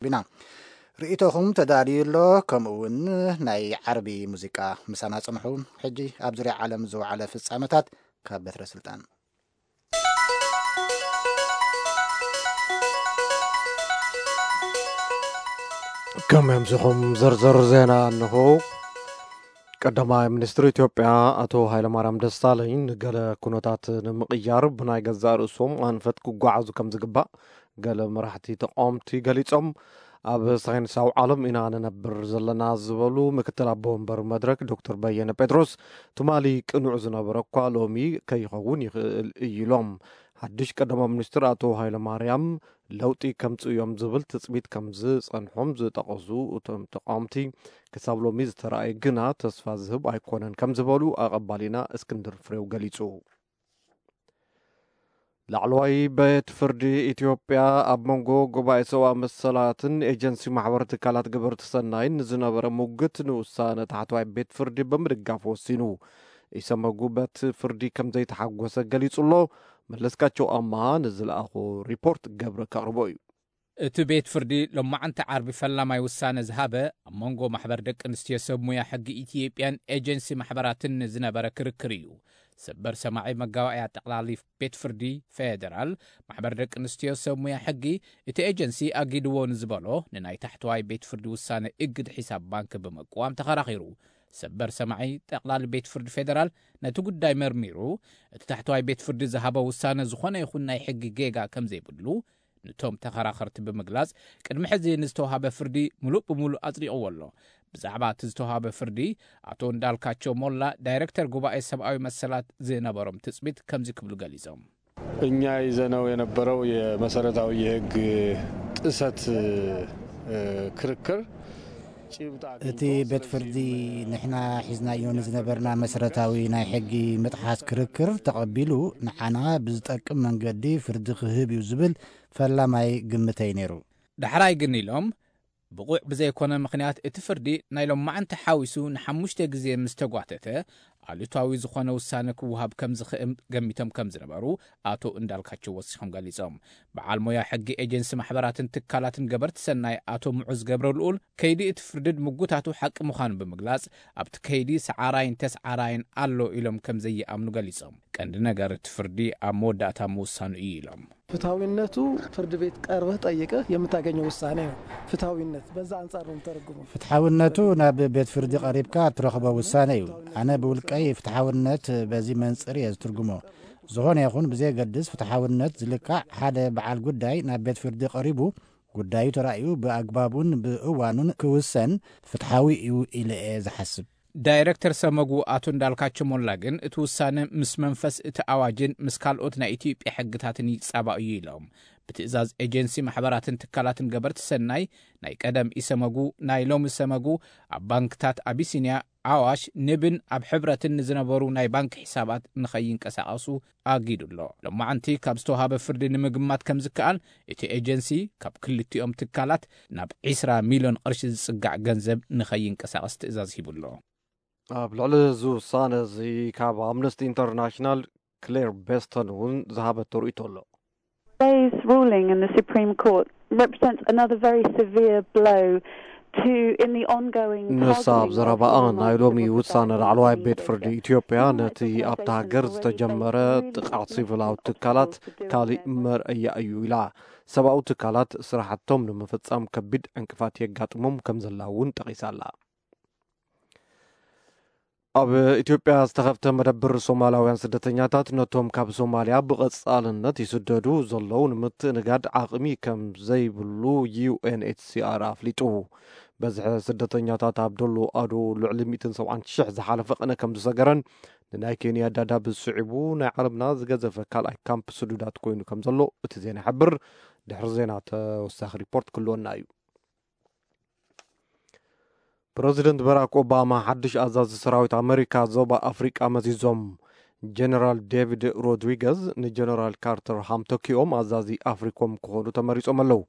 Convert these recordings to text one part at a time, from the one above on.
ቢና ርእይቶኹም ተዳልዩ ኣሎ። ከምኡ እውን ናይ ዓርቢ ሙዚቃ ምሳና ጽንሑ። ሕጂ ኣብ ዙርያ ዓለም ዝወዓለ ፍጻመታት ካብ በትረ ስልጣን። ከም ኣምሲኹም ዝርዝር ዜና እንሆ። ቀዳማይ ሚኒስትር ኢትዮጵያ ኣቶ ሃይለማርያም ደሳለኝ ንገለ ኩነታት ንምቕያር ብናይ ገዛእ ርእሶም ኣንፈት ክጓዓዙ ከም ዝግባእ ገለ መራሕቲ ተቃወምቲ ገሊጾም። ኣብ ሳይንሳዊ ዓለም ኢና ንነብር ዘለና ዝበሉ ምክትል ኣቦ ወንበር መድረክ ዶክተር በየነ ጴጥሮስ፣ ትማሊ ቅኑዕ ዝነበረ እኳ ሎሚ ከይኸውን ይኽእል እዩ ኢሎም። ሓድሽ ቀዳማይ ሚኒስትር ኣቶ ሃይለማርያም ለውጢ ከምጽኡ እዮም ዝብል ትጽቢት ከም ዝጸንሖም ዝጠቐሱ እቶም ተቃወምቲ፣ ክሳብ ሎሚ ዝተረኣየ ግና ተስፋ ዝህብ ኣይኮነን ከም ዝበሉ ኣቐባሊና እስክንድር ፍሬው ገሊጹ። ላዕለዋይ ቤት ፍርዲ ኢትዮጵያ ኣብ መንጎ ጉባኤ ሰብኣዊ መሰላትን ኤጀንሲ ማሕበር ትካላት ገበርቲ ሰናይን ንዝነበረ ሙግት ንውሳነ ታሕተዋይ ቤት ፍርዲ ብምድጋፍ ወሲኑ። ኢሰመጉ በቲ ፍርዲ ከም ዘይተሓጎሰ ገሊጹ ኣሎ። መለስካቸው ኣማሃ ንዝለኣኾ ሪፖርት ገብረ ከቕርቦ እዩ። እቲ ቤት ፍርዲ ሎማዓንቲ ዓርቢ ፈላማይ ውሳነ ዝሃበ ኣብ መንጎ ማሕበር ደቂ ኣንስትዮ ሰብ ሙያ ሕጊ ኢትዮጵያን ኤጀንሲ ማሕበራትን ዝነበረ ክርክር እዩ። ሰበር ሰማዒ መጋባእያ ጠቕላሊ ቤት ፍርዲ ፌደራል ማሕበር ደቂ ኣንስትዮ ሰብ ሙያ ሕጊ እቲ ኤጀንሲ ኣጊድዎ ንዝበሎ ንናይ ታሕተዋይ ቤት ፍርዲ ውሳነ እግድ ሒሳብ ባንክ ብምቅዋም ተኸራኺሩ። ሰበር ሰማዒ ጠቕላሊ ቤት ፍርዲ ፌደራል ነቲ ጉዳይ መርሚሩ እቲ ታሕተዋይ ቤት ፍርዲ ዝሃቦ ውሳነ ዝኾነ ይኹን ናይ ሕጊ ጌጋ ከም ዘይብሉ ንቶም ተኸራኸርቲ ብምግላጽ ቅድሚ ሕዚ ንዝተዋሃበ ፍርዲ ሙሉእ ብሙሉእ ኣጽዲቕዎ ኣሎ። ብዛዕባ እቲ ዝተዋሃበ ፍርዲ ኣቶ እንዳልካቸው ሞላ ዳይሬክተር ጉባኤ ሰብኣዊ መሰላት ዝነበሮም ትጽቢት ከምዚ ክብሉ ገሊጾም። እኛ ይዘነው የነበረው የመሰረታዊ የህግ ጥሰት ክርክር ጭብጥ ኣግኝቶ እቲ ቤት ፍርዲ ንሕና ሒዝናዮ ንዝነበርና መሰረታዊ ናይ ሕጊ ምጥሓስ ክርክር ተቐቢሉ ንዓና ብዝጠቅም መንገዲ ፍርዲ ክህብ እዩ ዝብል ፈላማይ ግምተይ ነይሩ። ዳሕራይ ግን ኢሎም ብቑዕ ብዘይኮነ ምኽንያት እቲ ፍርዲ ናይ ሎማዓንቲ ሓዊሱ ንሓሙሽተ ግዜ ምስ ተጓተተ ኣሉታዊ ዝኾነ ውሳነ ክወሃብ ከም ዝኽእል ገሚቶም ከም ዝነበሩ ኣቶ እንዳልካቸው ወሲኾም ገሊጾም። በዓል ሞያ ሕጊ ኤጀንሲ ማሕበራትን ትካላትን ገበርቲ ሰናይ ኣቶ ምዑዝ ገብረ ልኡል ከይዲ እቲ ፍርዲ ምጉታቱ ሓቂ ምዃኑ ብምግላጽ ኣብቲ ከይዲ ሰዓራይን ተስዓራይን ኣሎ ኢሎም ከም ዘይኣምኑ ገሊጾም። ቀንዲ ነገር እቲ ፍርዲ ኣብ መወዳእታ ምውሳኑ እዩ ኢሎም። ፍትሐዊነቱ ፍርድ ቤት ቀርበህ ጠይቀህ የምታገኘው ውሳኔ ነው። ፍትሐዊነት በዛ አንጻር ነው የምተረጉመው። ፍትሐውነቱ ናብ ቤት ፍርዲ ቀሪብካ እትረኽቦ ውሳነ እዩ። ኣነ ብውልቀይ ፍትሐውነት በዚ መንጽር እየ ዝትርጉሞ። ዝኾነ ይኹን ብዘየገድስ ፍትሐውነት ዝልካዕ ሓደ በዓል ጉዳይ ናብ ቤት ፍርዲ ቀሪቡ ጉዳዩ ተራእዩ ብኣግባቡን ብእዋኑን ክውሰን ፍትሐዊ እዩ ኢለ እየ ዝሓስብ። ዳይረክተር ሰመጉ ኣቶ እንዳልካቸው ሞላ ግን እቲ ውሳነ ምስ መንፈስ እቲ ኣዋጅን ምስ ካልኦት ናይ ኢትዮጵያ ሕግታትን ይጻባእ እዩ ኢሎም። ብትእዛዝ ኤጀንሲ ማሕበራትን ትካላትን ገበርቲ ሰናይ ናይ ቀደም ኢሰመጉ ናይ ሎሚ ሰመጉ ኣብ ባንክታት ኣቢሲንያ፣ ኣዋሽ፣ ንብን ኣብ ሕብረትን ንዝነበሩ ናይ ባንክ ሒሳባት ንኸይንቀሳቐሱ ኣጊዱ ኣሎ። ሎማዓንቲ ካብ ዝተውሃበ ፍርዲ ንምግማት ከም ዝከኣል እቲ ኤጀንሲ ካብ ክልቲኦም ትካላት ናብ ዒስራ ሚልዮን ቅርሺ ዝጽጋዕ ገንዘብ ንኸይንቀሳቐስ ትእዛዝ ሂቡ ኣሎ። ኣብ ልዕሊ እዚ ውሳነ እዚ ካብ ኣምነስቲ ኢንተርናሽናል ክሌር ቤስተን እውን ዝሃበቶ ርእይቶ ኣሎ። Today's ruling in the Supreme Court represents another very severe blow to in the ongoing ንሳ ኣብ ዘረባኣ ናይ ሎሚ ውሳነ ላዕለዋይ ቤት ፍርዲ ኢትዮጵያ ነቲ ኣብታ ሃገር ዝተጀመረ ጥቕዓት ሲቪላዊ ትካላት ካሊእ መርኣያ እዩ ኢላ። ሰብኣዊ ትካላት ስራሕቶም ንምፍጻም ከቢድ ዕንቅፋት የጋጥሞም ከም ዘላ እውን ጠቒሳ ኣላ። ኣብ ኢትዮጵያ ዝተኸፍተ መደብር ሶማላውያን ስደተኛታት ነቶም ካብ ሶማልያ ብቐጻልነት ይስደዱ ዘለዉ ንምትእንጋድ ዓቕሚ ከም ዘይብሉ ዩ ኤን ኤች ሲ ኣር ኣፍሊጡ። በዝሒ ስደተኛታት ኣብ ዶሎ ኣዶ ልዕሊ ሚእትን ሰብዓን ሽሕ ዝሓለፈ ቕነ ከም ዝሰገረን ንናይ ኬንያ ዳዳብ ስዒቡ ናይ ዓለምና ዝገዘፈ ካልኣይ ካምፕ ስዱዳት ኮይኑ ከም ዘሎ እቲ ዜና ይሕብር። ድሕሪ ዜና ተወሳኺ ሪፖርት ክልወና እዩ። ፕረዚደንት በራክ ኦባማ ሓድሽ ኣዛዚ ሰራዊት ኣመሪካ ዞባ ኣፍሪቃ መዚዞም። ጀነራል ዴቪድ ሮድሪገዝ ንጀነራል ካርተር ሃም ተኪኦም ኣዛዚ ኣፍሪኮም ክኾኑ ተመሪጾም ኣለዉ።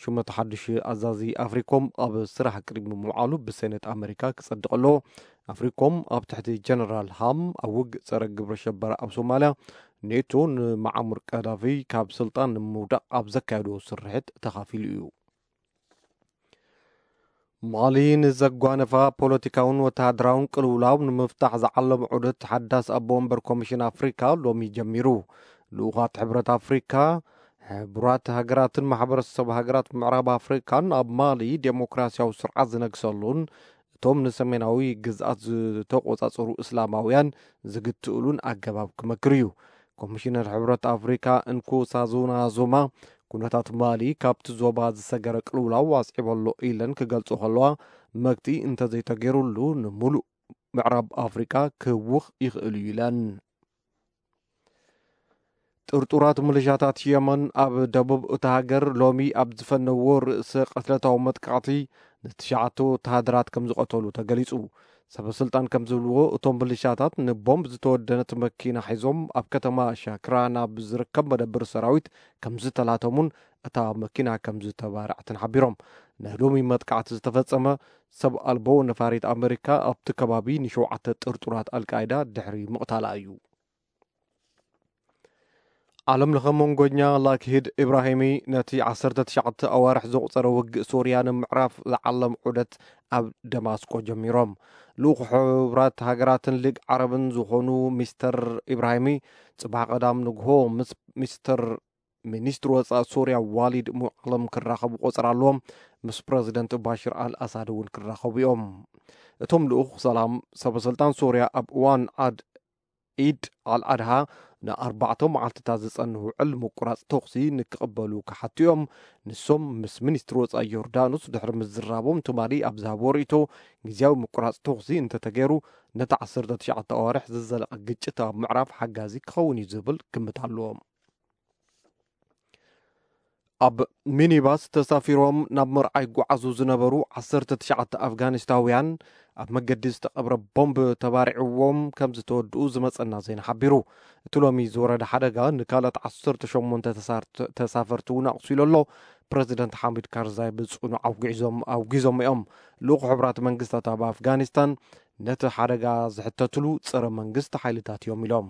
ሹመት ሓድሽ ኣዛዚ ኣፍሪኮም ኣብ ስራሕ ቅድሚ ምውዓሉ ብሴኔት ኣመሪካ ክጸድቕ ኣለዎ። ኣፍሪኮም ኣብ ትሕቲ ጀነራል ሃም ኣብ ውግእ ጸረ ግብረ ሸበራ ኣብ ሶማልያ ኔቶ ንመዓሙር ቀዳፊ ካብ ስልጣን ንምውዳቕ ኣብ ዘካየዶ ስርሒት ተኻፊሉ እዩ። ማሊ ንዘጓነፋ ፖለቲካውን ወተሃደራውን ቅልውላው ንምፍታሕ ዝዓለመ ዑደት ሓዳስ ኣቦ ወንበር ኮሚሽን ኣፍሪካ ሎሚ ጀሚሩ። ልኡኻት ሕብረት ኣፍሪካ፣ ሕቡራት ሃገራትን ማሕበረሰብ ሃገራት ምዕራብ ኣፍሪካን ኣብ ማሊ ዴሞክራሲያዊ ስርዓት ዝነግሰሉን እቶም ንሰሜናዊ ግዝኣት ዝተቆጻጸሩ እስላማውያን ዝግትእሉን ኣገባብ ክመክር እዩ። ኮሚሽነር ሕብረት ኣፍሪካ እንኩሳዙና ዙማ ኩነታት ማሊ ካብቲ ዞባ ዝሰገረ ቅልውላው ኣስዒቦ ኣሎ ኢለን ክገልጾ ከለዋ፣ መግቲ እንተዘይተገይሩሉ ንምሉእ ምዕራብ ኣፍሪካ ክህውኽ ይኽእል እዩ ኢለን። ጥርጡራት ምልሻታት የመን ኣብ ደቡብ እታ ሃገር ሎሚ ኣብ ዝፈነዎ ርእሰ ቅትለታዊ መጥቃዕቲ ንትሽዓተ ወተሃደራት ከም ዝቐተሉ ተገሊጹ። ሰበ ስልጣን ከም ዝብልዎ፣ እቶም ምልሻታት ንቦምብ ዝተወደነት መኪና ሒዞም ኣብ ከተማ ሻክራ ናብ ዝርከብ መደብር ሰራዊት ከም ዝተላተሙን እታ መኪና ከም ዝተባርዐትን ሓቢሮም። ናይ ሎሚ መጥቃዕቲ ዝተፈጸመ ሰብ ኣልቦ ነፋሪት ኣመሪካ ኣብቲ ከባቢ ንሸውዓተ ጥርጡራት ኣልቃይዳ ድሕሪ ምቕታላ እዩ። ዓለም ለኸ መንጎኛ ላክሂድ ኢብራሂሚ ነቲ ዓሰርተ ትሽዓተ ኣዋርሕ ዘቑጸረ ውግእ ሶርያ ንምዕራፍ ዝዓለም ዑደት ኣብ ደማስቆ ጀሚሮም። ልኡኽ ሕቡራት ሃገራትን ሊግ ዓረብን ዝኾኑ ሚስተር ኢብራሂሚ ጽባሕ ቀዳም ንግሆ ምስ ሚስተር ሚኒስትሪ ወጻኢ ሶርያ ዋሊድ ሙዓለም ክራኸቡ ቆጸራ ኣለዎም። ምስ ፕረዚደንት ባሽር ኣል ኣሳድ እውን ክራኸቡ እዮም። እቶም ልኡኽ ሰላም ሰበ ስልጣን ሶርያ ኣብ እዋን ዓድ ኢድ ኣልኣድሃ ንኣርባዕተ መዓልትታት ዝጸንህ ውዕል ምቁራጽ ተኹሲ ንክቕበሉ ክሓቱ እዮም። ንሶም ምስ ሚኒስትሪ ወጻኢ ዮርዳኖስ ድሕሪ ምዝራቦም ትማሊ ኣብ ዝሃብዎ ርእይቶ፣ ግዝያዊ ምቁራጽ ተኹሲ እንተተገይሩ ነቲ ዓሰርተ ትሽዓተ ኣዋርሕ ዝዘለቐ ግጭት ኣብ ምዕራፍ ሓጋዚ ክኸውን እዩ ዝብል ግምት ኣለዎም። ኣብ ሚኒባስ ተሳፊሮም ናብ መርዓ ይጓዓዙ ዝነበሩ ዓሰርተ ትሽዓተ ኣፍጋኒስታውያን ኣብ መገዲ ዝተቐብረ ቦምብ ተባሪዕዎም ከም ዝተወድኡ ዝመጸና ዜና ሓቢሩ። እቲ ሎሚ ዝወረደ ሓደጋ ንካልኦት ዓሰርተ ሸሞንተ ተሳርት-፣ ተሳፈርቲ እውን ኣቑሲሉ ኣሎ። ፕረዚደንት ሓሚድ ካርዛይ ብጽኑዕ ኣውጊዞም፣ ኣውጊዞም እዮም። ልኡኽ ሕቡራት መንግስታት ኣብ ኣፍጋኒስታን ነቲ ሓደጋ ዝሕተትሉ ጸረ መንግስቲ ሓይልታት እዮም ኢሎም።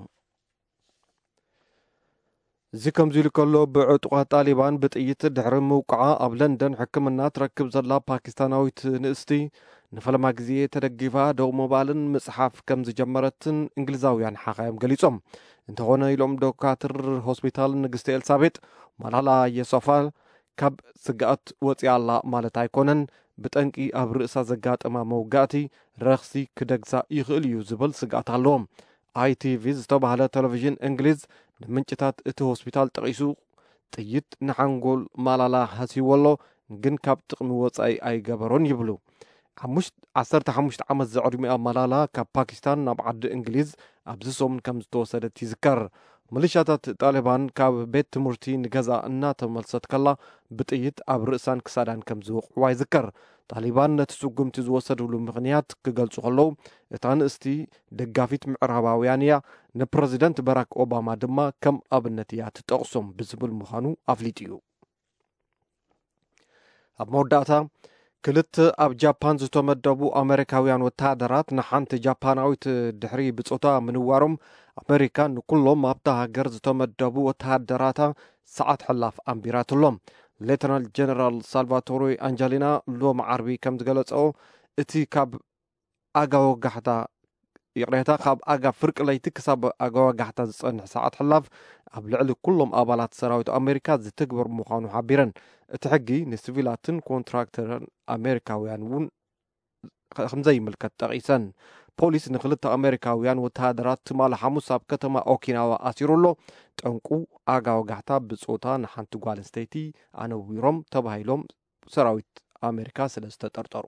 እዚ ከምዚ ኢሉ ከሎ፣ ብዕጡቓት ጣሊባን ብጥይት ድሕሪ ምውቃዓ ኣብ ለንደን ሕክምና ትረክብ ዘላ ፓኪስታናዊት ንእስቲ ንፈለማ ግዜ ተደጊፋ ደው ምባልን ምጽሓፍ ከም ዝጀመረትን እንግሊዛውያን ሓኻዮም ገሊጾም። እንተኾነ ኢሎም ዶካትር ሆስፒታል ንግስቲ ኤልሳቤጥ፣ ማላላ የሶፋ ካብ ስግኣት ወጺኣ ኣላ ማለት ኣይኮነን። ብጠንቂ ኣብ ርእሳ ዘጋጠማ መውጋእቲ ረኽሲ ክደግሳ ይኽእል እዩ ዝብል ስግኣት ኣለዎም። ኣይቲቪ ዝተባህለ ቴሌቪዥን እንግሊዝ ንምንጭታት እቲ ሆስፒታል ጠቒሱ፣ ጥይት ንሓንጎል ማላላ ሃስይዎ ኣሎ፣ ግን ካብ ጥቕሚ ወጻኢ ኣይገበሮን ይብሉ። ሓሙሽ-፣ ዓሰርተ ሓሙሽተ ዓመት ዝዕድሚኣ ማላላ ካብ ፓኪስታን ናብ ዓዲ እንግሊዝ ኣብዚ ሰሙን ከም ዝተወሰደት ይዝከር። ሚሊሻታት ጣሊባን ካብ ቤት ትምህርቲ ንገዛ እናተመልሰት ከላ ብጥይት ኣብ ርእሳን ክሳዳን ከም ዝወቕዕዋ ይዝከር። ጣሊባን ነቲ ስጉምቲ ዝወሰድሉ ምኽንያት ክገልጹ ከለዉ፣ እታ ንእስቲ ደጋፊት ምዕራባውያን እያ፣ ንፕረዚደንት በራክ ኦባማ ድማ ከም ኣብነት እያ ትጠቕሶም ብዝብል ምዃኑ ኣፍሊጡ እዩ። ኣብ መወዳእታ፣ ክልተ ኣብ ጃፓን ዝተመደቡ ኣመሪካውያን ወተሃደራት ንሓንቲ ጃፓናዊት ድሕሪ ብጾታ ምንዋሮም፣ ኣመሪካ ንኩሎም ኣብታ ሃገር ዝተመደቡ ወተሃደራታ ሰዓት ሕላፍ ኣንቢራትሎም። ሌተናል ጀነራል ሳልቫቶሪ ኣንጀሊና ሎሚ ዓርቢ ከም ዝገለጸኦ፣ እቲ ካብ ኣጋ ወጋሕታ፣ ይቕሬታ፣ ካብ ኣጋ ፍርቂ ለይቲ ክሳብ ኣጋ ወጋሕታ ዝጸንሕ ሰዓት ሕላፍ ኣብ ልዕሊ ኩሎም ኣባላት ሰራዊት ኣሜሪካ ዝትግበር ምዃኑ ሓቢረን። እቲ ሕጊ ንሲቪላትን ኮንትራክተርን ኣሜሪካውያን እውን ከ-፣ ከም ዘይምልከት ጠቒሰን። ፖሊስ ንክልተ ኣሜሪካውያን ወተሃደራት ትማሊ ሓሙስ ኣብ ከተማ ኦኪናዋ ኣሲሩ ኣሎ። ጠንቁ ኣጋ ወጋሕታ ብጾታ ንሓንቲ ጓል ኣንስተይቲ ኣነዊሮም ተባሂሎም ሰራዊት ኣሜሪካ ስለ ዝተጠርጠሩ።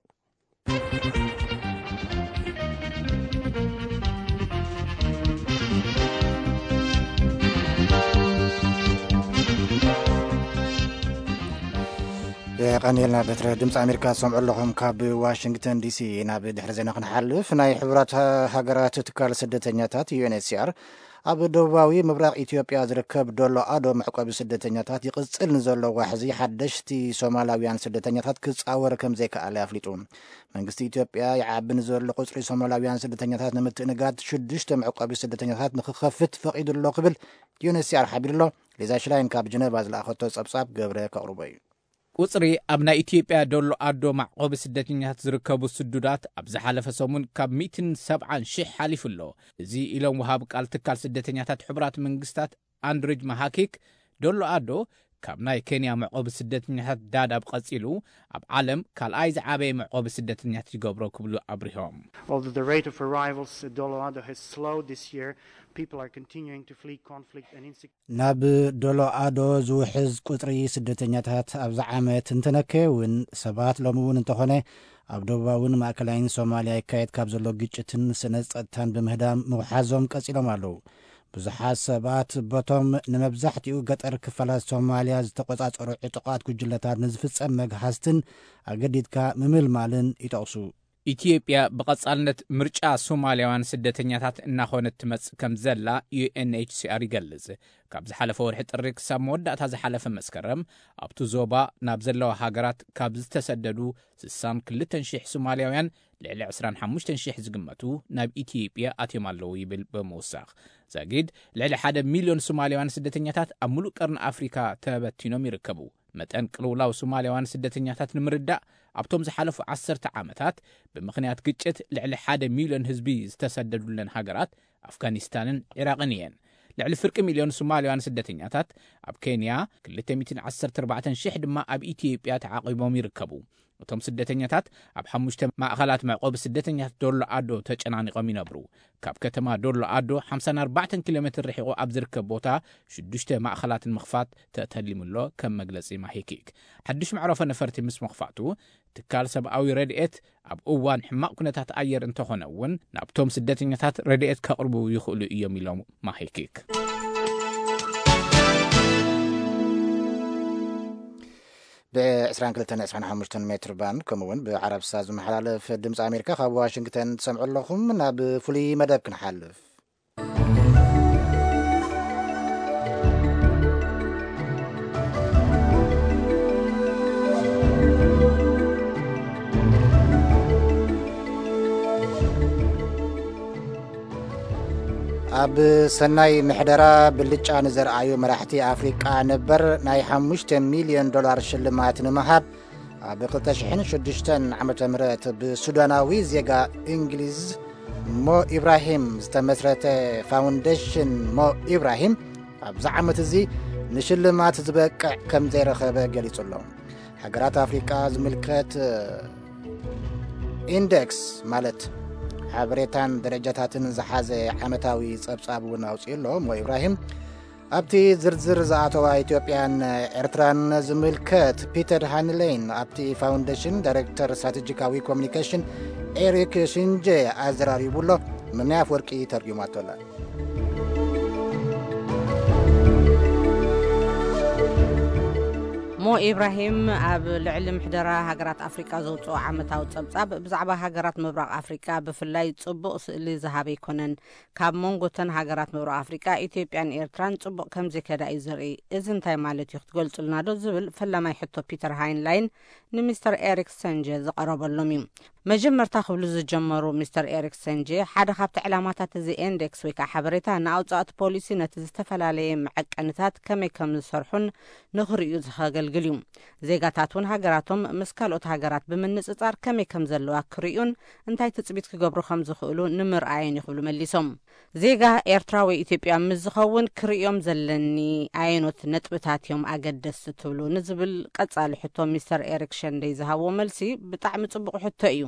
የቐንየልና በትረ። ድምፂ ኣሜሪካ ትሰምዑ ኣለኹም ካብ ዋሽንግተን ዲሲ። ናብ ድሕሪ ዜና ክንሓልፍ፣ ናይ ሕቡራት ሃ-፣ ሃገራት ትካል ስደተኛታት ዩኤንኤችሲኣር ኣብ ደቡባዊ ምብራቕ ኢትዮጵያ ዝርከብ ዶሎ ኣዶ መዕቆቢ ስደተኛታት ይቕጽል ንዘሎ ዋሕዚ ሓደሽቲ ሶማላውያን ስደተኛታት ክጻወር ከም ዘይከኣለ ኣፍሊጡ። መንግስቲ ኢትዮጵያ ይዓቢ ንዘሎ ቁጽሪ ሶማላውያን ስደተኛታት ንምትእንጋድ ሽዱሽተ መዕቆቢ ስደተኛታት ንክኸፍት ፈቒዱ ኣሎ ክብል ዩኤንኤችሲኣር ሓቢሩ ኣሎ። ሊዛ ሽላይን ካብ ጀነቫ ዝለኣኸቶ ጸብጻብ ገብረ ከቕርቦ እዩ። ቁጽሪ ኣብ ናይ ኢትዮጵያ ዶሎ ኣዶ መዕቆቢ ስደተኛታት ዝርከቡ ስዱዳት ኣብ ዝሓለፈ ሰሙን ካብ ሚእትን ሰብዓን ሽሕ ሓሊፉ ኣሎ። እዚ ኢሎም ወሃብ ቃል ትካል ስደተኛታት ሕቡራት መንግስታት ኣንድሪጅ ማሃኪክ፣ ዶሎ ኣዶ ካብ ናይ ኬንያ መዕቆቢ ስደተኛታት ዳዳብ ቀጺሉ ኣብ ዓለም ካልኣይ ዝዓበየ መዕቆቢ ስደተኛታት ይገብሮ ክብሉ ኣብሪሆም። Although the rate of arrivals at Doloado has slowed this year, people are continuing to flee conflict and insecurity. ናብ ዶሎ ኣዶ ዝውሕዝ ቁጽሪ ስደተኛታት ኣብዚ ዓመት እንተነከየ እውን፣ ሰባት ሎሚ እውን እንተኾነ ኣብ ደቡባውን ማእከላይን ሶማልያ ይካየድ ካብ ዘሎ ግጭትን ስነ ጸጥታን ብምህዳም ምውሓዞም ቀጺሎም ኣለዉ። ብዙሓት ሰባት በቶም ንመብዛሕትኡ ገጠር ክፋላት ሶማልያ ዝተቖጻጸሩ ዕጡቓት ጉጅለታት ንዝፍጸም መግሃስትን ኣገዲድካ ምምልማልን ይጠቕሱ። ኢትዮጵያ ብቐጻልነት ምርጫ ሶማልያውያን ስደተኛታት እናኾነት ትመጽእ ከም ዘላ ዩ ኤን ኤች ሲ ኣር ይገልጽ። ካብ ዝሓለፈ ወርሒ ጥሪ ክሳብ መወዳእታ ዝሓለፈ መስከረም ኣብቲ ዞባ ናብ ዘለዋ ሃገራት ካብ ዝተሰደዱ ስሳን ክልተን ሽሕ ሶማልያውያን ልዕሊ ዕስራን ሓሙሽተን ሽሕ ዝግመቱ ናብ ኢትዮጵያ ኣትዮም ኣለዉ ይብል ብምውሳኽ። ዛጊድ ልዕሊ ሓደ ሚልዮን ሶማልያውያን ስደተኛታት ኣብ ሙሉእ ቀርኒ ኣፍሪካ ተበቲኖም ይርከቡ። መጠን ቅልውላው ሶማልያውያን ስደተኛታት ንምርዳእ ኣብቶም ዝሓለፉ ዓሰርተ ዓመታት ብምኽንያት ግጭት ልዕሊ ሓደ ሚልዮን ህዝቢ ዝተሰደዱለን ሃገራት ኣፍጋኒስታንን ዒራቕን እየን። ልዕሊ ፍርቂ ሚልዮን ሶማልያውያን ስደተኛታት ኣብ ኬንያ፣ ክልተ ሚእትን ዓሰርተ ኣርባዕተን ሽሕ ድማ ኣብ ኢትዮጵያ ተዓቒቦም ይርከቡ። እቶም ስደተኛታት ኣብ ሓሙሽተ ማእኸላት መዕቆቢ ስደተኛታት ዶሎ ኣዶ ተጨናኒቖም ይነብሩ። ካብ ከተማ ዶሎ ኣዶ ሓምሳን ኣርባዕተን ኪሎ ሜትር ርሒቑ ኣብ ዝርከብ ቦታ ሽዱሽተ ማእኸላት ንምኽፋት ተተሊሙሎ ከም መግለጺ ማሂኪክ። ሓድሽ መዕረፎ ነፈርቲ ምስ ምኽፋቱ ትካል ሰብኣዊ ረድኤት ኣብ እዋን ሕማቕ ኩነታት ኣየር እንተኾነ እውን ናብቶም ስደተኛታት ረድኤት ከቕርቡ ይኽእሉ እዮም ኢሎም ማሂኪክ። ብ22 25 ሜትር ባንድ ከምኡ እውን ብዓረብ ሳት ዝመሓላለፍ ድምፂ ኣሜሪካ ካብ ዋሽንግተን ትሰምዑ ኣለኹም። ናብ ፍሉይ መደብ ክንሓልፍ። ኣብ ሰናይ ምሕደራ ብልጫ ንዘርኣዩ መራሕቲ ኣፍሪቃ ነበር ናይ ሓሙሽተ ሚልዮን ዶላር ሽልማት ንምሃብ ኣብ ክልተ ሽሕን ሽዱሽተን ዓመተ ምህረት ብሱዳናዊ ዜጋ እንግሊዝ ሞ ኢብራሂም ዝተመስረተ ፋውንዴሽን ሞ ኢብራሂም ኣብዚ ዓመት እዚ ንሽልማት ዝበቅዕ ከም ዘይረኸበ ገሊጹ ኣሎ። ሃገራት ኣፍሪቃ ዝምልከት ኢንደክስ ማለት ሓበሬታን ደረጃታትን ዝሓዘ ዓመታዊ ጸብጻብ እውን ኣውፅኡ ኣሎ። ሞ ኢብራሂም ኣብቲ ዝርዝር ዝኣተዋ ኢትዮጵያን ኤርትራን ዝምልከት ፒተር ሃንሌን ኣብቲ ፋውንዴሽን ዳይሬክተር ስትራቴጂካዊ ኮሚኒኬሽን ኤሪክ ሽንጄ ኣዘራሪቡ ኣሎ። ምናይ ኣፍወርቂ ተርጉማቶ ኣላ። ሞ ኢብራሂም ኣብ ልዕሊ ምሕደራ ሃገራት ኣፍሪቃ ዘውፅኦ ዓመታዊ ጸብጻብ ብዛዕባ ሃገራት ምብራቕ ኣፍሪቃ ብፍላይ ጽቡቕ ስእሊ ዝሃበ ኣይኮነን። ካብ መንጎተን ሃገራት ምብራቕ ኣፍሪቃ ኢትዮጵያን ኤርትራን ጽቡቕ ከም ዘይከዳ እዩ ዘርኢ። እዚ እንታይ ማለት እዩ ክትገልጹልና ዶ ዝብል ፈላማይ ሕቶ ፒተር ሃይንላይን ንሚስተር ኤሪክ ሰንጀ ዝቐረበሎም እዩ። መጀመርታ ክብሉ ዝጀመሩ ሚስተር ኤሪክ ሰንጀ ሓደ ካብቲ ዕላማታት እዚ ኢንዴክስ ወይ ከዓ ሓበሬታ ንኣውፃእቲ ፖሊሲ ነቲ ዝተፈላለየ መዐቀንታት ከመይ ከም ዝሰርሑን ንኽርእዩ ዘኸገልግል እዩ። ዜጋታት እውን ሃገራቶም ምስ ካልኦት ሃገራት ብምንፅፃር ከመይ ከም ዘለዋ ክርእዩን እንታይ ትፅቢት ክገብሩ ከም ዝኽእሉ ንምርኣየን እዩ ክብሉ መሊሶም። ዜጋ ኤርትራ ወይ ኢትዮጵያ ምስ ዝኸውን ክርእዮም ዘለኒ ኣየኖት ነጥብታት እዮም ኣገደስቲ ትብሉ ንዝብል ቀጻሊ ሕቶ ሚስተር ኤሪክ ሸንደይ ዝሃብዎ መልሲ ብጣዕሚ ጽቡቕ ሕቶ እዩ።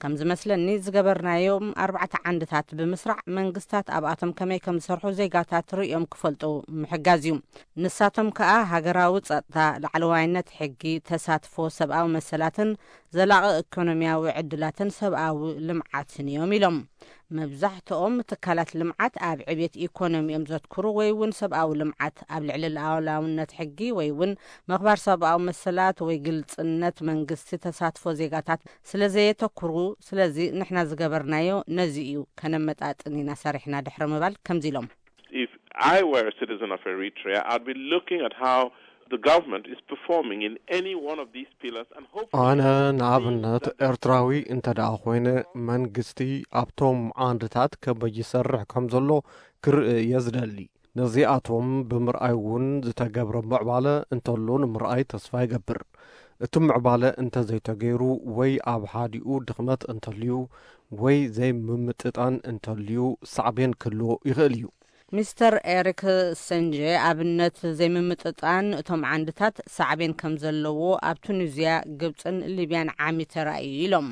ከም ዝመስለኒ ዝገበርናዮም ኣርባዕተ ዓንድታት ብምስራዕ መንግስታት ኣብኣቶም ከመይ ከም ዝሰርሑ ዜጋታት ርእዮም ክፈልጡ ምሕጋዝ እዩ። ንሳቶም ከኣ ሃገራዊ ጸጥታ፣ ላዕለዋይነት ሕጊ፣ ተሳትፎ ሰብኣዊ መሰላትን ዘላቒ ኢኮኖሚያዊ ዕድላትን ሰብኣዊ ልምዓትን እዮም ኢሎም። መብዛሕትኦም ትካላት ልምዓት ኣብ ዕብየት ኢኮኖሚ እዮም ዘትኩሩ ወይ እውን ሰብኣዊ ልምዓት ኣብ ልዕሊ ሉዓላውነት ሕጊ ወይ እውን ምኽባር ሰብኣዊ መሰላት ወይ ግልፅነት መንግስቲ ተሳትፎ ዜጋታት ስለ ዘየተኩሩ ስለዚ ንሕና ዝገበርናዮ ነዚ እዩ ከነመጣጥን ኢና ሰሪሕና ድሕሪ ምባል ከምዚ ኢሎም። If I were a citizen of Eritrea, I'd be looking at how the government is performing in any one of these pillars and hopefully ኣነ ንኣብነት ኤርትራዊ እንተ ደኣ ኮይነ መንግስቲ ኣብቶም ዓንድታት ከመይ ይሰርሕ ከም ዘሎ ክርኢ እየ ዝደሊ። ነዚኣቶም ብምርኣይ እውን ዝተገብረ ምዕባለ እንተሎ ንምርኣይ ተስፋ ይገብር። እቲ ምዕባለ እንተዘይተገይሩ፣ ወይ ኣብ ሓዲኡ ድኽመት እንተልዩ፣ ወይ ዘይምምጥጣን እንተልዩ፣ ሳዕቤን ክህልዎ ይኽእል እዩ። ሚስተር ኤሪክ ሰንጀ ኣብነት ዘይምምጥጣን እቶም ዓንድታት ሳዕቤን ከም ዘለዎ ኣብ ቱኒዝያ፣ ግብፅን ሊብያን ዓሚ ተራእዩ ኢሎም።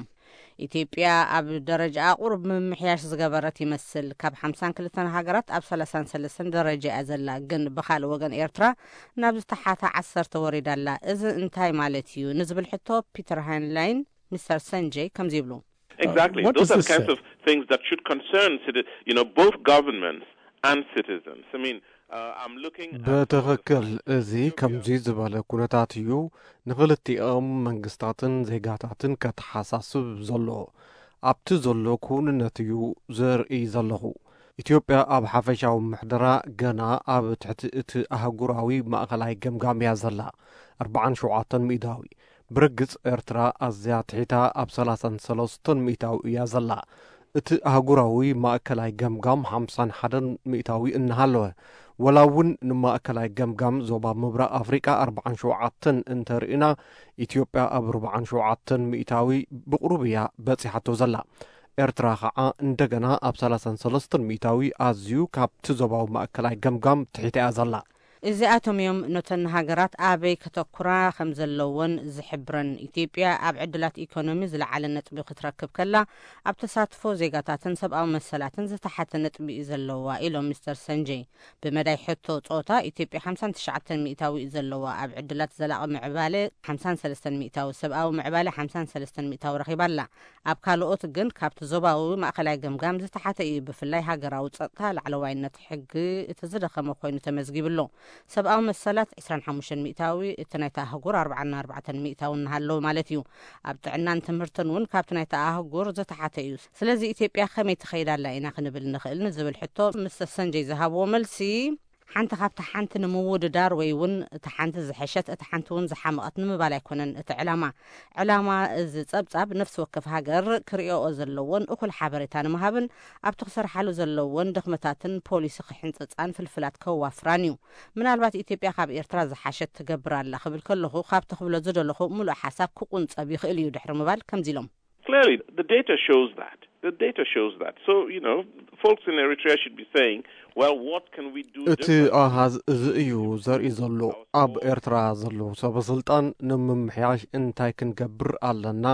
ኢትዮጵያ ኣብ ደረጃ ቁሩብ ምምሕያሽ ዝገበረት ይመስል። ካብ ሓምሳን ክልተን ሃገራት ኣብ ሰላሳን ሰለስተን ደረጃ እያ ዘላ። ግን ብኻልእ ወገን ኤርትራ ናብ ዝተሓተ ዓሰርተ ወሪዳ ኣላ። እዚ እንታይ ማለት እዩ ንዝብል ሕቶ ፒተር ሃይንላይን ሚስተር ሰንጀይ ከምዚ ይብሉ። Exactly. Those are kinds of things that should concern citi- you know both governments and citizens. I mean, uh, I'm looking at ብትኽክል፣ እዚ ከምዚ ዝበለ ኩነታት እዩ ንኽልቲኦም መንግስታትን ዜጋታትን ከተሓሳስብ ዘሎ። ኣብቲ ዘሎ ክውንነት እዩ ዘርኢ ዘለኹ። ኢትዮጵያ ኣብ ሓፈሻዊ ምሕደራ ገና ኣብ ትሕቲ እቲ ኣህጉራዊ ማእኸላይ ገምጋም እያ ዘላ፣ ኣርባዓን ሸውዓተን ሚእታዊ። ብርግጽ ኤርትራ ኣዝያ ትሒታ ኣብ ሰላሳን ሰለስተን ሚእታዊ እያ ዘላ። እቲ ኣህጉራዊ ማእከላይ ገምጋም ሓምሳን ሓደን ሚእታዊ እናሃለወ፣ ወላ እውን ንማእከላይ ገምጋም ዞባ ምብራቕ ኣፍሪቃ ኣርባዓን ሸውዓተን እንተርኢና፣ ኢትዮጵያ ኣብ ኣርባዓን ሸውዓተን ሚእታዊ ብቕሩብ እያ በጺሓቶ ዘላ። ኤርትራ ኸዓ እንደገና ኣብ ሰላሳን ሰለስተን ሚእታዊ ኣዝዩ ካብቲ ዞባዊ ማእከላይ ገምጋም ትሒታ እያ ዘላ። እዚኣቶም እዮም ነተን ሃገራት ኣበይ ከተኩራ ከም ዘለወን ዝሕብረን። ኢትዮጵያ ኣብ ዕድላት ኢኮኖሚ ዝለዓለ ነጥቢ ክትረክብ ከላ፣ ኣብ ተሳትፎ ዜጋታትን ሰብኣዊ መሰላትን ዝተሓተ ነጥቢ እዩ ዘለዋ ኢሎም ሚስተር ሰንጀይ። ብመዳይ ሕቶ ጾታ ኢትዮጵያ ሓምሳን ትሽዓተን ሚእታዊ እዩ ዘለዋ። ኣብ ዕድላት ዘላቒ ምዕባለ ሓምሳን ሰለስተን ሚእታዊ፣ ሰብኣዊ ምዕባለ ሓምሳን ሰለስተን ሚእታዊ ረኺባ ኣላ። ኣብ ካልኦት ግን ካብቲ ዞባዊ ማእኸላይ ገምጋም ዝተሓተ እዩ። ብፍላይ ሃገራዊ ጸጥታ፣ ላዕለዋይነት ሕጊ እቲ ዝደኸመ ኮይኑ ተመዝጊቡ ኣሎ። ሰብኣዊ መሰላት ዕስራን ሓሙሽተን ሚእታዊ፣ እቲ ናይታ ኣህጉር ኣርባዓን ኣርባዕተን ሚእታዊ እናሃለወ ማለት እዩ። ኣብ ጥዕናን ትምህርትን እውን ካብቲ ናይታ ኣህጉር ዝተሓተ እዩ። ስለዚ ኢትዮጵያ ከመይ ትኸይድ ኣላ ኢና ክንብል ንኽእል ንዝብል ሕቶ ሚስተር ሰንጀይ ዝሃብዎ መልሲ፣ ሓንቲ ካብታ ሓንቲ ንምውድዳር ወይ እውን እታ ሓንቲ ዝሐሸት እታ ሓንቲ እውን ዝሓመቐት ንምባል ኣይኮነን እቲ ዕላማ። ዕላማ እዚ ጸብጻብ ነፍሲ ወከፍ ሃገር ክርእዮኦ ዘለዎን እኹል ሓበሬታ ንምሃብን ኣብቲ ክሰርሓሉ ዘለዎን ድኽመታትን ፖሊሲ ክሕንጽጻን ፍልፍላት ከዋፍራን እዩ። ምናልባት ኢትዮጵያ ካብ ኤርትራ ዝሓሸት ትገብር ኣላ ክብል ከለኹ ካብቲ ክብሎ ዝደለኹ ምሉእ ሓሳብ ክቁንጸብ ይኽእል እዩ ድሕሪ ምባል ከምዚ ኢሎም። Clearly, the data shows that. The data shows that. So, you know, folks in Eritrea should be saying, well, what can we do እቲ ኣሃዝ እዚ እዩ ዘርኢ ዘሎ። ኣብ ኤርትራ ዘለዉ ሰበ ስልጣን ንምምሕያሽ እንታይ ክንገብር ኣለና?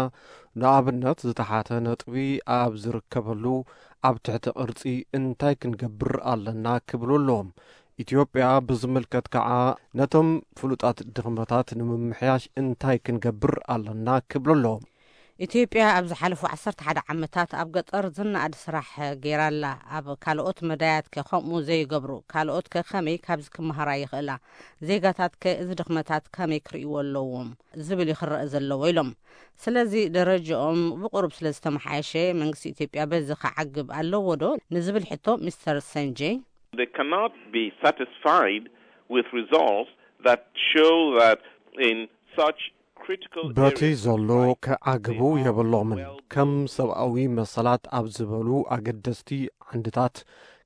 ንኣብነት ዝተሓተ ነጥቢ ኣብ ዝርከበሉ ኣብ ትሕቲ ቅርጺ እንታይ ክንገብር ኣለና ክብሉ ኣለዎም። ኢትዮጵያ ብዝምልከት ከዓ ነቶም ፍሉጣት ድኽመታት ንምምሕያሽ እንታይ ክንገብር ኣለና ክብሉ ኣለዎም። ኢትዮጵያ ኣብ ዝሓለፉ ዓሰርተ ሓደ ዓመታት ኣብ ገጠር ዝነኣድ ስራሕ ገይራ ኣላ። ኣብ ካልኦት መዳያት ከ ከምኡ ዘይገብሩ? ካልኦት ከ ከመይ ካብዚ ክመሃራ ይኽእላ? ዜጋታት ከ እዚ ድኽመታት ከመይ ክርእይዎ ኣለዎም ዝብል እዩ ክረአ ዘለዎ ኢሎም። ስለዚ ደረጃኦም ብቁሩብ ስለ ዝተመሓየሸ መንግስቲ ኢትዮጵያ በዚ ክዓግብ ኣለዎ ዶ ንዝብል ሕቶ ሚስተር ሰንጀይ They cannot be satisfied with results that show that in such critical በቲ areas ዘሎ like ክዓግቡ የብሎምን። ከም ሰብኣዊ መሰላት ኣብ ዝበሉ ኣገደስቲ ዓንድታት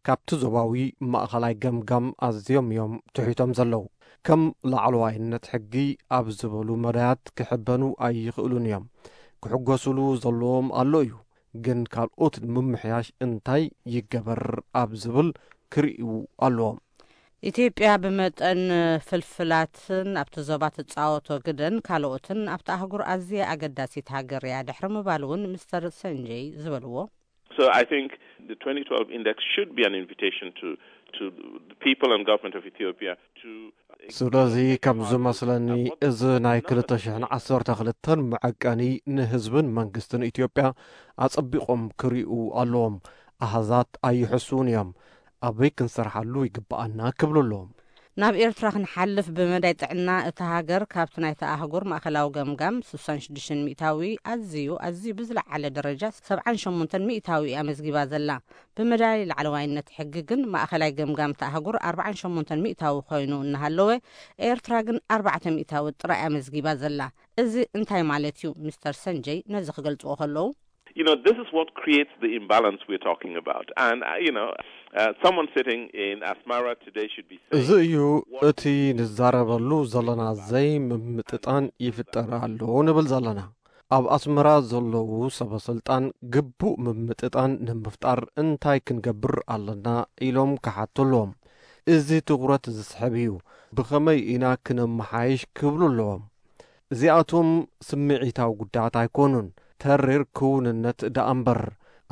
ካብቲ ዞባዊ ማእኸላይ ገምጋም ኣዝዮም እዮም ትሒቶም ዘለዉ። ከም ላዕለዋይነት ሕጊ ኣብ ዝበሉ መዳያት ክሕበኑ ኣይኽእሉን እዮም። ክሕጎስሉ ዘለዎም ኣሎ እዩ። ግን ካልኦት ንምምሕያሽ እንታይ ይገበር ኣብ ዝብል ክርእዩ ኣለዎም። ኢትዮጵያ ብመጠን ፍልፍላትን ኣብቲ ዞባ ትጻወቶ ግደን ካልኦትን ኣብቲ ኣህጉር ኣዝያ ኣገዳሲት ሃገር እያ ድሕሪ ምባል እውን ሚስተር ሰንጀይ ዝበልዎ So I think the twenty twelve index should be an invitation to to the people and government of Ethiopia to ስለዚ ከም ዝመስለኒ እዚ ናይ ክልተ ሽሕን ዓሰርተ ክልተን መዐቀኒ ንህዝብን መንግስትን ኢትዮጵያ ኣጸቢቖም ክርእዩ ኣለዎም። ኣሃዛት ኣይሕሱን እዮም። ኣበይ ክንሰርሓሉ ይግብኣና ክብሉ ኣለዎም። ናብ ኤርትራ ክንሓልፍ ብመዳይ ጥዕና እታ ሃገር ካብቲ ናይታ ኣህጉር ማእኸላዊ ገምጋም ስሳን ሽዱሽተን ሚእታዊ ኣዝዩ ኣዝዩ ብዝለዓለ ደረጃ ሰብዓን ሸሞንተን ሚእታዊ እያ መዝጊባ ዘላ። ብመዳይ ላዕለዋይነት ሕጊ ግን ማእኸላይ ገምጋም እታ ኣህጉር ኣርባዓን ሸሞንተን ሚእታዊ ኮይኑ እናሃለወ ኤርትራ ግን ኣርባዕተ ሚእታዊ ጥራይ እያ መዝጊባ ዘላ። እዚ እንታይ ማለት እዩ? ሚስተር ሰንጀይ ነዚ ክገልጽዎ ከለዉ You know, this is what creates the imbalance we're talking about. And, uh, you know, uh, someone sitting in Asmara today should be saying, እዚ እዩ እቲ ንዛረበሉ ዘለና ዘይምምጥጣን ይፍጠር ኣሎ ንብል ዘለና። ኣብ ኣስመራ ዘለዉ ሰበ ስልጣን ግቡእ ምምጥጣን ንምፍጣር እንታይ ክንገብር ኣለና ኢሎም ክሓቱ ኣለዎም። እዚ ትኹረት ዝስሕብ እዩ። ብኸመይ ኢና ክነመሓይሽ ክብሉ ኣለዎም። እዚኣቶም ስምዒታዊ ጉዳያት ኣይኮኑን፣ ተሪር ክውንነት ደኣ እምበር።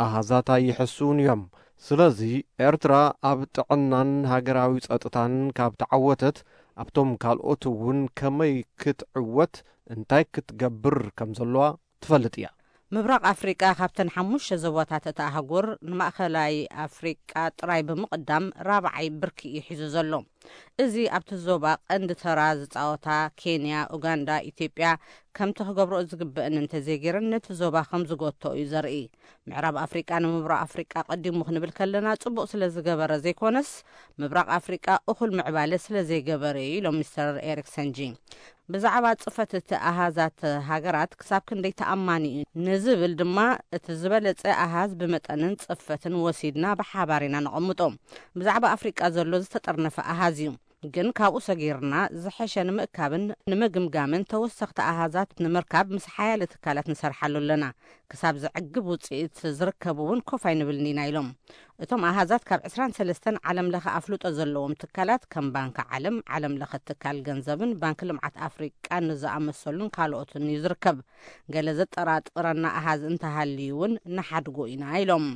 ኣሃዛት ኣይሕስውን እዮም። ስለዚ ኤርትራ ኣብ ጥዕናን ሃገራዊ ጸጥታን ካብ ተዓወተት፣ ኣብቶም ካልኦት እውን ከመይ ክትዕወት፣ እንታይ ክትገብር ከም ዘለዋ ትፈልጥ እያ። ምብራቕ ኣፍሪቃ ካብተን ሓሙሽተ ዞባታት እታ ኣህጉር ንማእኸላይ ኣፍሪቃ ጥራይ ብምቕዳም ራብዓይ ብርኪ እዩ ሒዙ ዘሎ። እዚ ኣብቲ ዞባ ቀንዲ ተራ ዝጻወታ ኬንያ፣ ኡጋንዳ፣ ኢትዮጵያ ከምቲ ክገብርኦ ዝግበአን እንተዘይገይረን ነቲ ዞባ ከም ዝጎትኦ እዩ ዘርኢ። ምዕራብ ኣፍሪቃ ንምብራቕ ኣፍሪቃ ቀዲሙ ክንብል ከለና ጽቡቕ ስለ ዝገበረ ዘይኮነስ ምብራቕ ኣፍሪቃ እኹል ምዕባለ ስለ ዘይገበረ እዩ ኢሎም ሚስተር ኤሪክሰን ጂ። ብዛዕባ ጽፈት እቲ ኣሃዛት ሃገራት ክሳብ ክንደይ ተኣማኒ እዩ ንዝብል ድማ እቲ ዝበለጸ ኣሃዝ ብመጠንን ጽፈትን ወሲድና ብሓባር ኢና ነቐምጦ። ብዛዕባ ኣፍሪቃ ዘሎ ዝተጠርነፈ ኣሃዝ እዩ። ግን ካብኡ ሰጊርና ዝሐሸ ንምእካብን ንምግምጋምን ተወሰኽቲ ኣሃዛት ንምርካብ ምስ ሓያለ ትካላት ንሰርሓሉ ኣለና። ክሳብ ዘዕግብ ውጽኢት ዝርከብ እውን ኮፍ ኣይንብልን ኢና ኢሎም። እቶም ኣሃዛት ካብ ዕስራን ሰለስተን ዓለም ለኸ ኣፍልጦ ዘለዎም ትካላት ከም ባንኪ ዓለም፣ ዓለም ለኸ ትካል ገንዘብን ባንኪ ልምዓት ኣፍሪቃን ንዝኣመሰሉን ካልኦትን እዩ ዝርከብ። ገለ ዘጠራጥረና ኣሃዝ እንተሃልዩ እውን ንሓድጎ ኢና ኢሎም።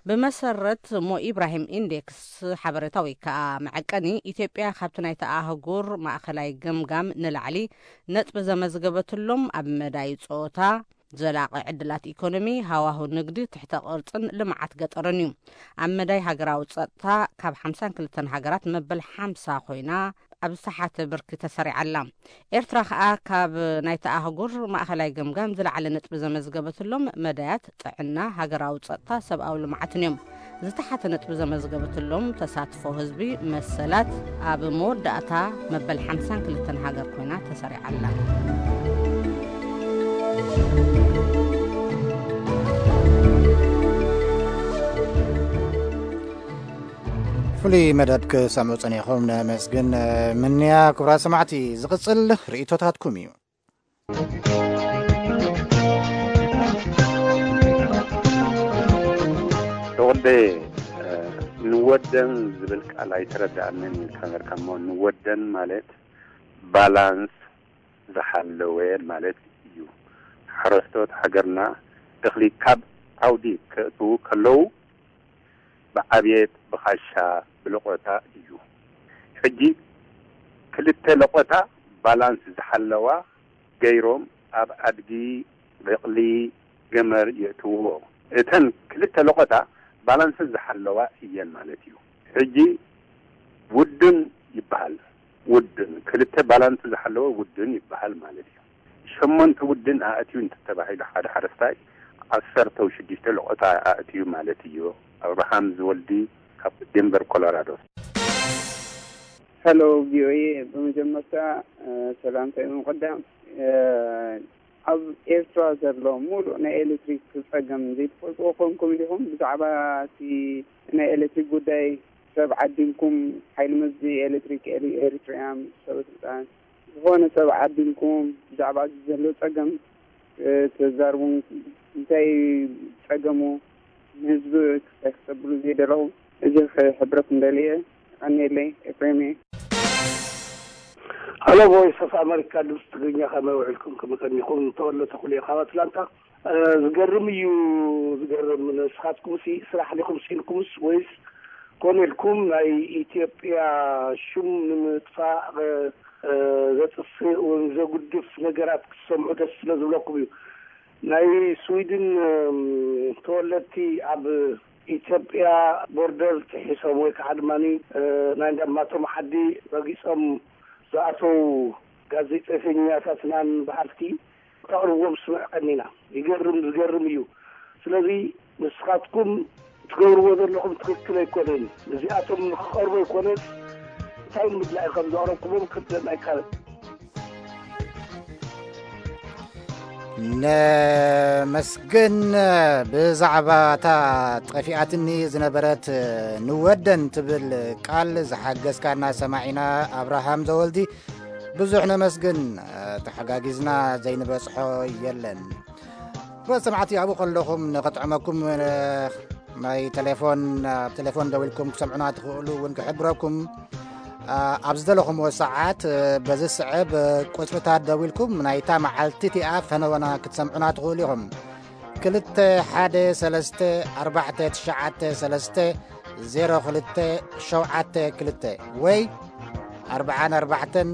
ብመሰረት ሞ ኢብራሂም ኢንዴክስ ሓበሬታ ወይ ከዓ መዐቀኒ፣ ኢትዮጵያ ካብቲ ናይቲ ኣህጉር ማእኸላይ ገምጋም ንላዕሊ ነጥቢ ዘመዝገበትሎም ኣብ መዳይ ጾታ፣ ዘላቒ ዕድላት ኢኮኖሚ፣ ሃዋሁ ንግዲ፣ ትሕተ ቅርጽን ልምዓት ገጠርን እዩ። ኣብ መዳይ ሃገራዊ ጸጥታ ካብ ሓምሳን ክልተን ሃገራት መበል ሓምሳ ኮይና ኣብ ዝተሓተ ብርኪ ተሰሪዓ ኣላ። ኤርትራ ከኣ ካብ ናይቲ ኣህጉር ማእኸላይ ገምጋም ዝለዓለ ነጥቢ ዘመዝገበትሎም መዳያት ጥዕና፣ ሃገራዊ ጸጥታ፣ ሰብኣዊ ልምዓትን እዮም። ዝተሓተ ነጥቢ ዘመዝገበትሎም ተሳትፎ ህዝቢ፣ መሰላት ኣብ መወዳእታ መበል ሓምሳን ክልተን ሃገር ኮይና ተሰሪዓ ኣላ። ፍሉይ መደብ ክሰምዑ ጸኒኹም ነመስግን። ምንያ ክቡራት ሰማዕቲ፣ ዝቕጽል ርእይቶታትኩም እዩ። ተወልደ፣ ንወደን ዝብል ቃል ኣይተረዳኣንን ኢልካ ነርካ እሞ፣ ንወደን ማለት ባላንስ ዝሓለወ ማለት እዩ። ሓረስቶት ሃገርና እኽሊ ካብ ዓውዲ ከእትዉ ከለዉ ብዓብየት፣ ብኻሻ፣ ብለቆታ እዩ። ሕጂ ክልተ ለቆታ ባላንስ ዝሓለዋ ገይሮም ኣብ ኣድጊ፣ በቕሊ፣ ገመል የእትውዎ። እተን ክልተ ለቆታ ባላንስ ዝሓለዋ እየን ማለት እዩ። ሕጂ ውድን ይበሃል። ውድን ክልተ ባላንስ ዝሓለወ ውድን ይበሃል ማለት እዩ። ሸሞንተ ውድን ኣእትዩ እንተተባሂሉ ሓደ ሓረስታይ ዓሰርተ ሽዱሽተ ለቆታ ኣእትዩ ማለት እዩ። ኣብርሃም ዝወልዲ ካብ ዴንቨር ኮሎራዶ። ሄሎ ቪኦኤ፣ ብመጀመርታ ሰላምታይ ብምቕዳም፣ ኣብ ኤርትራ ዘሎ ሙሉእ ናይ ኤሌክትሪክ ጸገም ዘይትፈልጥዎ ኮንኩም ዲኹም? ብዛዕባ እቲ ናይ ኤሌክትሪክ ጉዳይ ሰብ ዓዲምኩም፣ ሓይሊ መዚ ኤሌክትሪክ ኤሪ-፣ ኤሪትሪያ፣ ሰበ ስልጣን፣ ዝኾነ ሰብ ዓዲምኩም ብዛዕባ እዚ ዘሎ ጸገም ተዛርቡን እንታይ ጸገሙ ንህዝቢ ክሰብሉ ዘይደለኹ፣ እዚ ክሕብረኩም ደልየ። ቀንየለይ፣ ኤፍሬም እየ። ሀሎ ቮይስ ኦፍ አሜሪካ ድምፂ ትግርኛ፣ ከመይ ውዕልኩም? ከመይ ቀኒኹም? ተወለ ተኽሉ እየ ካብ ኣትላንታ። ዝገርም እዩ፣ ዝገርም። ንስኻትኩም ሲ ስራሕ ዲኹም ሲንኩምስ ወይስ ኮነ ኢልኩም ናይ ኢትዮጵያ ሽም ንምጥፋእ ዘጥፍእ ወይ ዘጉድፍ ነገራት ክትሰምዑ ደስ ስለ ዝብለኩም እዩ። ናይ ስዊድን ተወለድቲ ኣብ ኢትዮጵያ ቦርደር ጥሒሶም ወይ ከዓ ድማ ናይ እንዳማቶም ዓዲ ረጊፆም ዝኣተው ጋዜጠኛታትናን በዓልቲ ተቕርቦም ስምዕ ቀኒና። ይገርም፣ ዝገርም እዩ። ስለዚ ንስኻትኩም ትገብርዎ ዘለኹም ትክክል ኣይኮነን። እዚኣቶም ንክቐርቡ ኣይኮነስ እንታይ ንምድላይ ከም ዘቕረብኩሞም ክትደን ኣይካልን። ነመስግን። ብዛዕባ እታ ጠፊኣትኒ ዝነበረት ንወደን ትብል ቃል ዝሓገዝካና ሰማዒና ኣብርሃም ዘወልዲ ብዙሕ ነመስግን። ተሓጋጊዝና ዘይንበጽሖ የለን። ክቡራት ሰማዕቲ፣ ኣብኡ ከለኹም ንኽጥዕመኩም ናይ ቴሌፎን፣ ኣብ ቴሌፎን ደዊልኩም ክሰምዑና ትኽእሉ እውን ክሕብረኩም። ኣብ ዝደለኹምዎ ሰዓት በዚ ስዕብ ቁጽርታት ደዊልኩም ናይታ መዓልቲ እቲኣ ፈነወና ክትሰምዑና ትኽእሉ ኢኹም። ክልተ ሓደ ሰለስተ ኣርባዕተ ትሽዓተ ሰለስተ ዜሮ ክልተ ሸውዓተ ክልተ ወይ ኣርብዓን ኣርባዕተን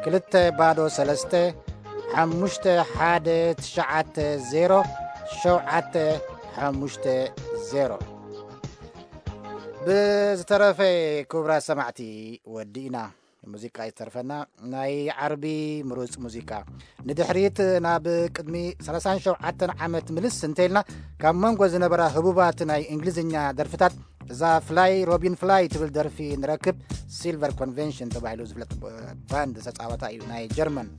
ክልተ ባዶ ሰለስተ ሓሙሽተ ሓደ ትሽዓተ ዜሮ ሸውዓተ ሓሙሽተ ዜሮ። ብዝተረፈ ክቡራት ሰማዕቲ ወዲእና። ሙዚቃ ይተርፈና፣ ናይ ዓርቢ ምሩጽ ሙዚቃ። ንድሕሪት ናብ ቅድሚ ሰላሳን ሸውዓተን ዓመት ምልስ እንተኢልና፣ ካብ መንጎ ዝነበራ ህቡባት ናይ እንግሊዝኛ ደርፍታት እዛ ፍላይ ሮቢን ፍላይ ትብል ደርፊ ንረክብ። ሲልቨር ኮንቬንሽን ተባሂሉ ዝፍለጥ ባንድ ዝተጻወታ እዩ፣ ናይ ጀርመን።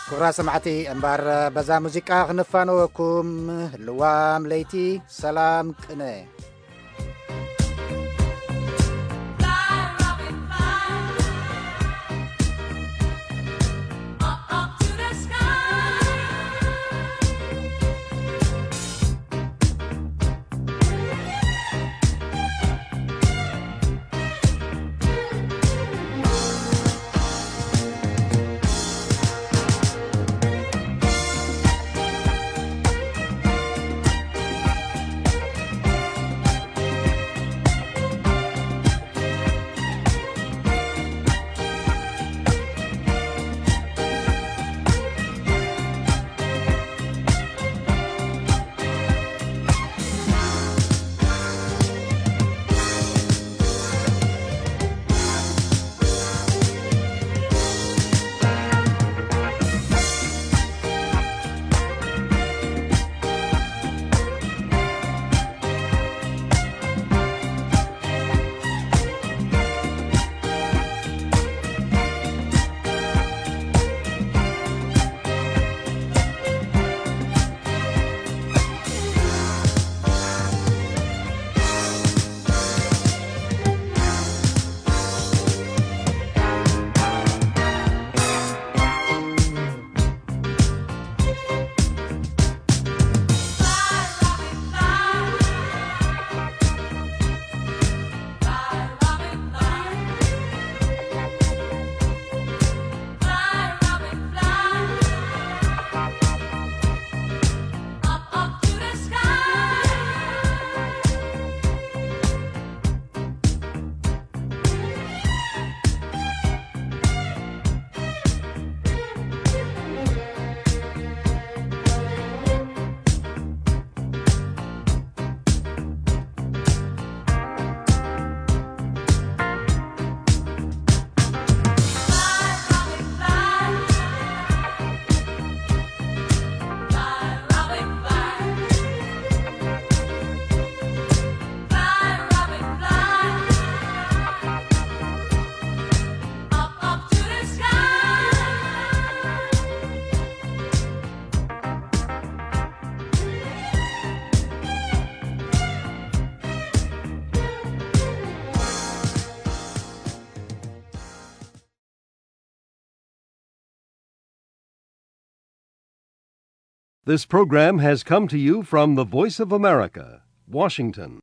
ክቡራት ሰማዕቲ፣ እምበር በዛ ሙዚቃ ክንፋነወኩም። ልዋም ለይቲ፣ ሰላም ቅነ። This program has come to you from the Voice of America, Washington.